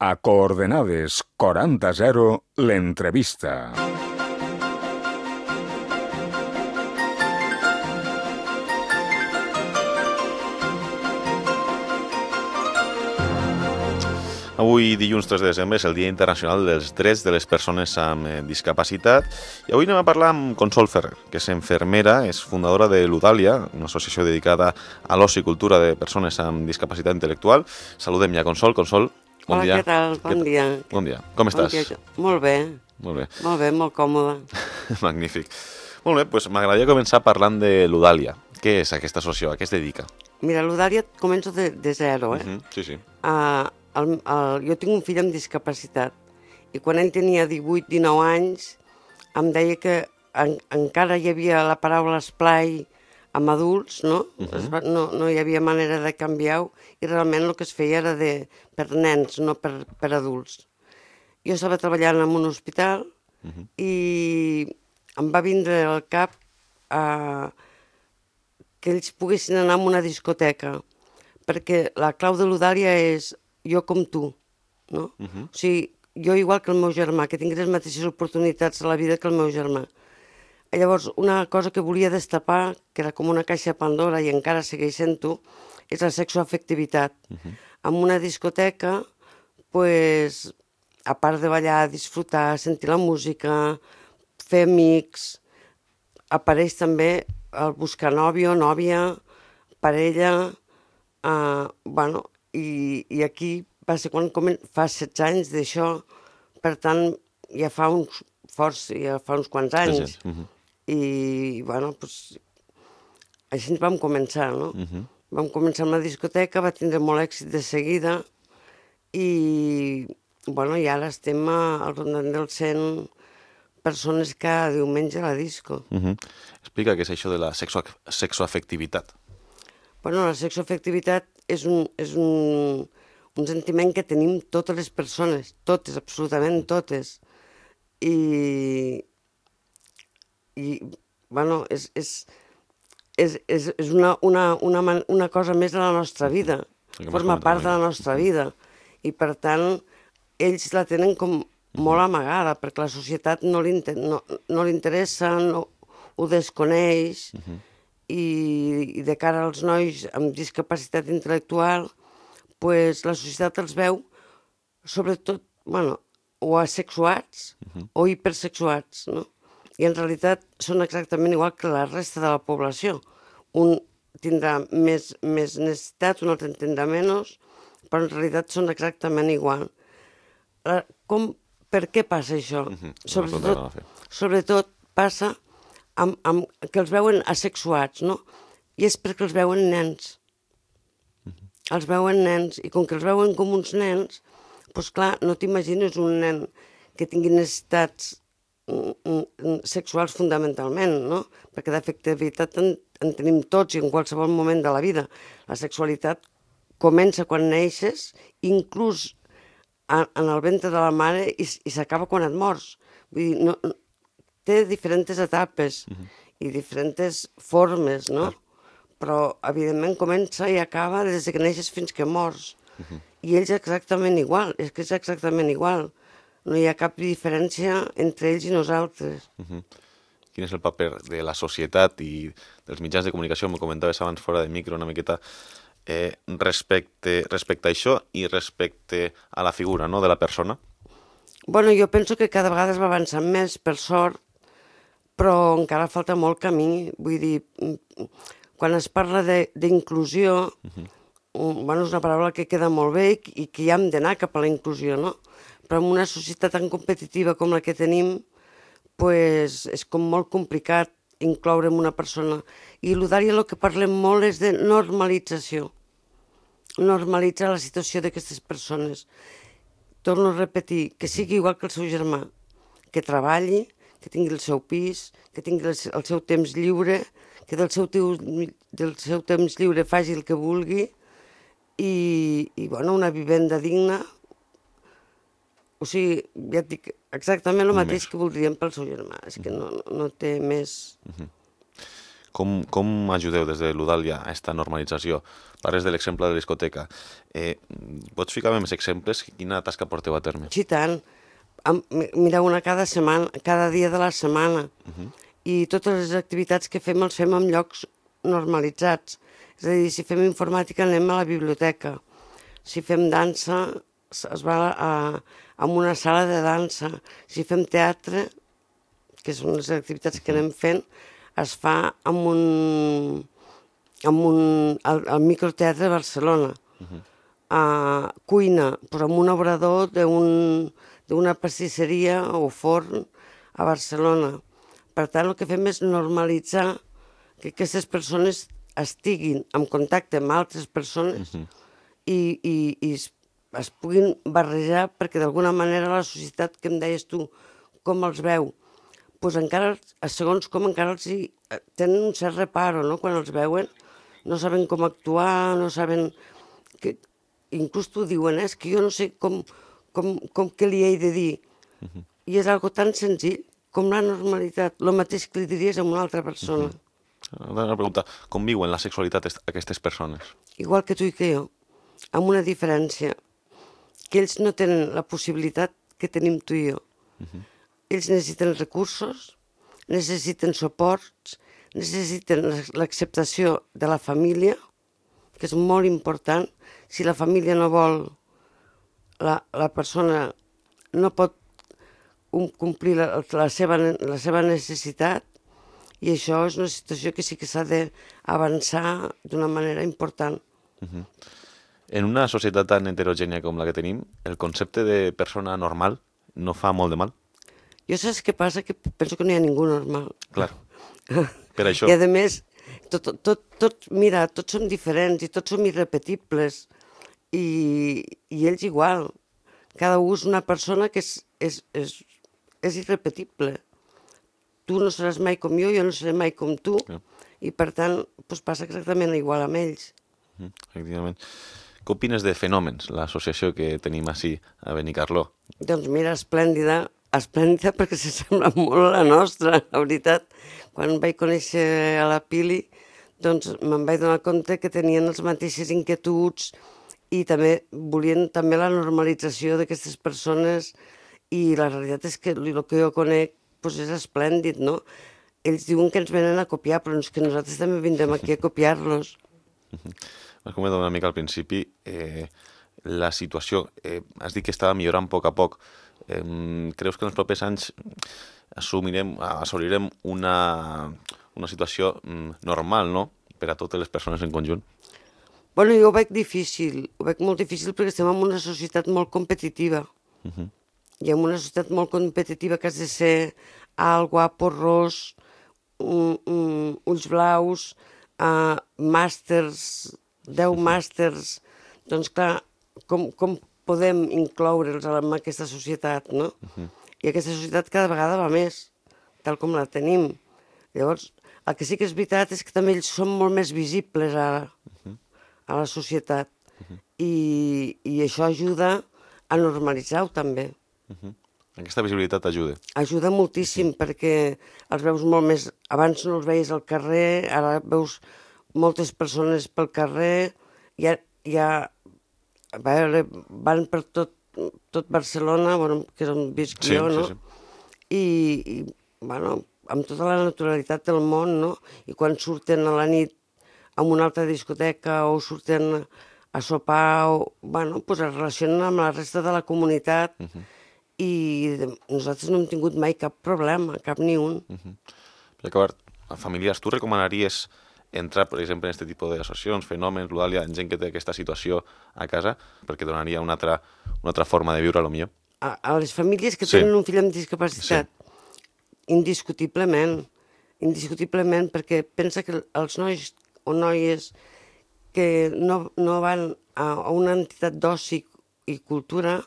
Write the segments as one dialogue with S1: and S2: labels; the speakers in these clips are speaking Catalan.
S1: A coordenades 40-0, l'entrevista.
S2: Avui, dilluns 3 de desembre, és el Dia Internacional dels Drets de les Persones amb Discapacitat i avui anem a parlar amb Consol Ferrer, que és infermera, és fundadora de l'Udàlia, una associació dedicada a l'oci i cultura de persones amb discapacitat intel·lectual. Saludem ja, Consol. Consol, bon dia.
S3: Hola, què tal? Bon dia.
S2: Bon dia. Com estàs?
S3: Bon dia. Molt bé.
S2: Molt bé.
S3: Molt bé, molt còmode.
S2: Magnífic. Molt bé, doncs m'agradaria començar parlant de l'Udàlia. Què és aquesta associació? A què es dedica?
S3: Mira, l'Udàlia començo de zero,
S2: Sí, sí.
S3: Jo tinc un fill amb discapacitat i quan ell tenia 18-19 anys em deia que encara hi havia la paraula esplai amb adults, no? No hi havia manera de canviar-ho i realment el que es feia era per nens, no per adults. Jo estava treballant en un hospital i em va vindre al cap que ells poguessin anar a una discoteca, perquè la clau de l'Udàlia és jo com tu, no? O sigui, jo igual que el meu germà, que tingués les mateixes oportunitats a la vida que el meu germà. Llavors, una cosa que volia destapar, que era com una caixa de Pandora i encara segueix sent-ho, és la sexoafectivitat. En una discoteca, pues, a part de ballar, disfrutar, sentir la música, fer amics, apareix també el buscar nòvio, nòvia, parella, i aquí va ser quan fa 16 anys d'això, per tant, ja fa uns quants anys. I, doncs, així ens vam començar, no? Vam començar amb la discoteca, va tindre molt èxit de seguida i ara estem al voltant dels 100 persones cada diumenge a la disco.
S2: Explica què és això de la sexoafectivitat.
S3: La sexoafectivitat és un sentiment que tenim totes les persones, totes, absolutament totes. És una cosa més de la nostra vida, forma part de la nostra vida. I per tant, ells la tenen com molt amagada, perquè la societat no li interessa, ho desconeix, i de cara als nois amb discapacitat intel·lectual, la societat els veu, sobretot, o asexuats o hipersexuats, no? I en realitat són exactament igual que la resta de la població. Un tindrà més necessitat, un altre en tindrà menys, però en realitat són exactament igual. Per què passa això? Sobretot passa que els veuen asexuats, no? I és perquè els veuen nens. Els veuen nens, i com que els veuen com uns nens, doncs clar, no t'imagines un nen que tingui necessitats sexuals fonamentalment, no? Perquè d'afectivitat en tenim tots i en qualsevol moment de la vida. La sexualitat comença quan neixes, inclús en el ventre de la mare, i s'acaba quan et mors. Vull dir, té diferents etapes i diferents formes, no? Però, evidentment, comença i acaba des que neixes fins que mors. I ells exactament igual, és que és exactament igual. No hi ha cap diferència entre ells i nosaltres.
S2: Quin és el paper de la societat i dels mitjans de comunicació, m'ho comentaves abans fora de micro una miqueta, respecte a això i respecte a la figura, no?, de la persona?
S3: Jo penso que cada vegada es va avançant més, per sort, però encara falta molt camí. Vull dir, quan es parla d'inclusió, és una paraula que queda molt bé i que ja hem d'anar cap a la inclusió, no? Però en una societat tan competitiva com la que tenim, és com molt complicat incloure en una persona. I l'Udàlia el que parlem molt és de normalització. Normalitzar la situació d'aquestes persones. Torno a repetir, que sigui igual que el seu germà, que treballi, que tingui el seu pis, que tingui el seu temps lliure, que del seu temps lliure faci el que vulgui i una vivenda digna. O sigui, ja et dic, exactament el mateix que voldríem pel seu germà. És que no té més...
S2: Com ajudeu des de l'Udàlia a aquesta normalització? Parles de l'exemple de la discoteca. Pots ficar-me més exemples? Quina tasca porteu a terme?
S3: Sí, tant. Mireu una cada setmana, cada dia de la setmana. I totes les activitats que fem els fem en llocs normalitzats. És a dir, si fem informàtica anem a la biblioteca. Si fem dansa es va a una sala de dansa. Si fem teatre, que són les activitats que anem fent, es fa al microteatre de Barcelona. Cuina, doncs amb un obrador d'una pastisseria o forn a Barcelona. Per tant, el que fem és normalitzar que aquestes persones estiguin en contacte amb altres persones i es puguin barrejar, perquè d'alguna manera la societat, que em deies tu, com els veu, doncs encara, segons com encara els tenen un cert reparo, no?, quan els veuen, no saben com actuar, no saben... Inclús t'ho diuen, és que jo no sé com què li he de dir. I és algo tan senzill com la normalitat, el mateix que li diries a una altra persona.
S2: Una pregunta, com viuen la sexualitat aquestes persones?
S3: Igual que tu i que jo, amb una diferència, que ells no tenen la possibilitat que tenim tu i jo. Ells necessiten recursos, necessiten suports, necessiten l'acceptació de la família, que és molt important. Si la família no vol, la persona no pot complir la seva necessitat, i això és una situació que sí que s'ha d'avançar d'una manera important.
S2: En una societat tan heterogènia com la que tenim, el concepte de persona normal no fa molt de mal?
S3: Jo saps què passa? Que penso que no hi ha ningú normal.
S2: Clar, per això.
S3: I a més, mira, tots som diferents i tots som irrepetibles, i ells igual. Cada un és una persona que és irrepetible. Tu no seràs mai com jo no seré mai com tu, i per tant passa exactament igual amb ells.
S2: Efectivament. Què opines de Fenòmens, l'associació que tenim així a Benicarló?
S3: Doncs mira, esplèndida perquè s'assembla molt a la nostra, la veritat. Quan vaig conèixer a la Pili, doncs me'n vaig donar compte que tenien les mateixes inquietuds i també volien també la normalització d'aquestes persones, i la realitat és que el que jo conec és esplèndid, no? Ells diuen que ens venen a copiar, però és que nosaltres també vindrem aquí a copiar-los.
S2: Has comentat una mica al principi la situació. Has dit que estava millorant a poc a poc. Creus que en els propers anys assolirem una situació normal, no?, per a totes les persones en conjunt?
S3: Bueno, jo ho veig difícil, molt difícil, perquè estem en una societat molt competitiva. I en una societat molt competitiva que has de ser alt, guapo, ros, ulls blaus, màsters, 10 màsters. Doncs clar, com podem incloure'ls en aquesta societat, no? I aquesta societat cada vegada va més, tal com la tenim. Llavors, el que sí que és veritat és que també ells són molt més visibles ara a la societat, i això ajuda a normalitzar-ho també.
S2: Aquesta visibilitat ajuda? Ajuda
S3: moltíssim, perquè els veus molt més... Abans no els veies al carrer, ara veus moltes persones pel carrer, van per tot Barcelona, que és on visc jo, no? I, amb tota la naturalitat del món, no? I quan surten a la nit a una altra discoteca o surten a sopar, es relacionen amb la resta de la comunitat, i nosaltres no hem tingut mai cap problema, cap ni un.
S2: Per acabar, a familiars, tu recomanaries entrar, per exemple, en aquest tipus d'associacions, Fenòmens, l'Udàlia, en gent que té aquesta situació a casa, perquè donaria una altra forma de viure, potser?
S3: A les famílies que tenen un fill amb discapacitat, indiscutiblement, perquè pensa que els nois o noies que no van a una entitat d'oci i cultura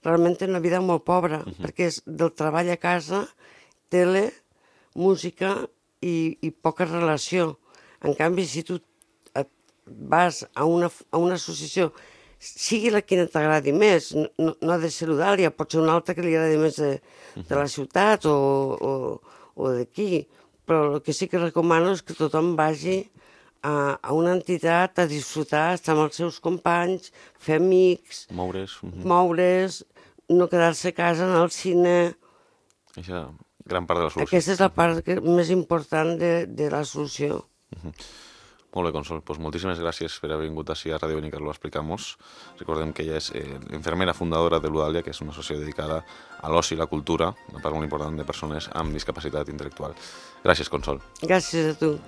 S3: realment tenen una vida molt pobra, perquè és del treball a casa, tele, música i poca relació. En canvi, si tu vas a una associació, sigui la que t'agradi més, no ha de ser l'Udàlia, pot ser una altra que li agradi més de la ciutat o d'aquí, però el que sí que recomano és que tothom vagi a una entitat a disfrutar, estar amb els seus companys, fer amics,
S2: Moure's.
S3: moure's, no quedar-se a casa, anar al cine.
S2: Això, gran part de la solució.
S3: Aquesta és la part més important de la solució.
S2: Molt bé, Consol. Pues moltíssimes gràcies per haver vingut així a Ràdio Benicarló a explicar-nos. Recordem que ella és infermera fundadora de l'Udàlia, que és una associació dedicada a l'oci i la cultura, una part molt important de persones amb discapacitat intel·lectual. Gràcies, Consol.
S3: Gràcies a tu.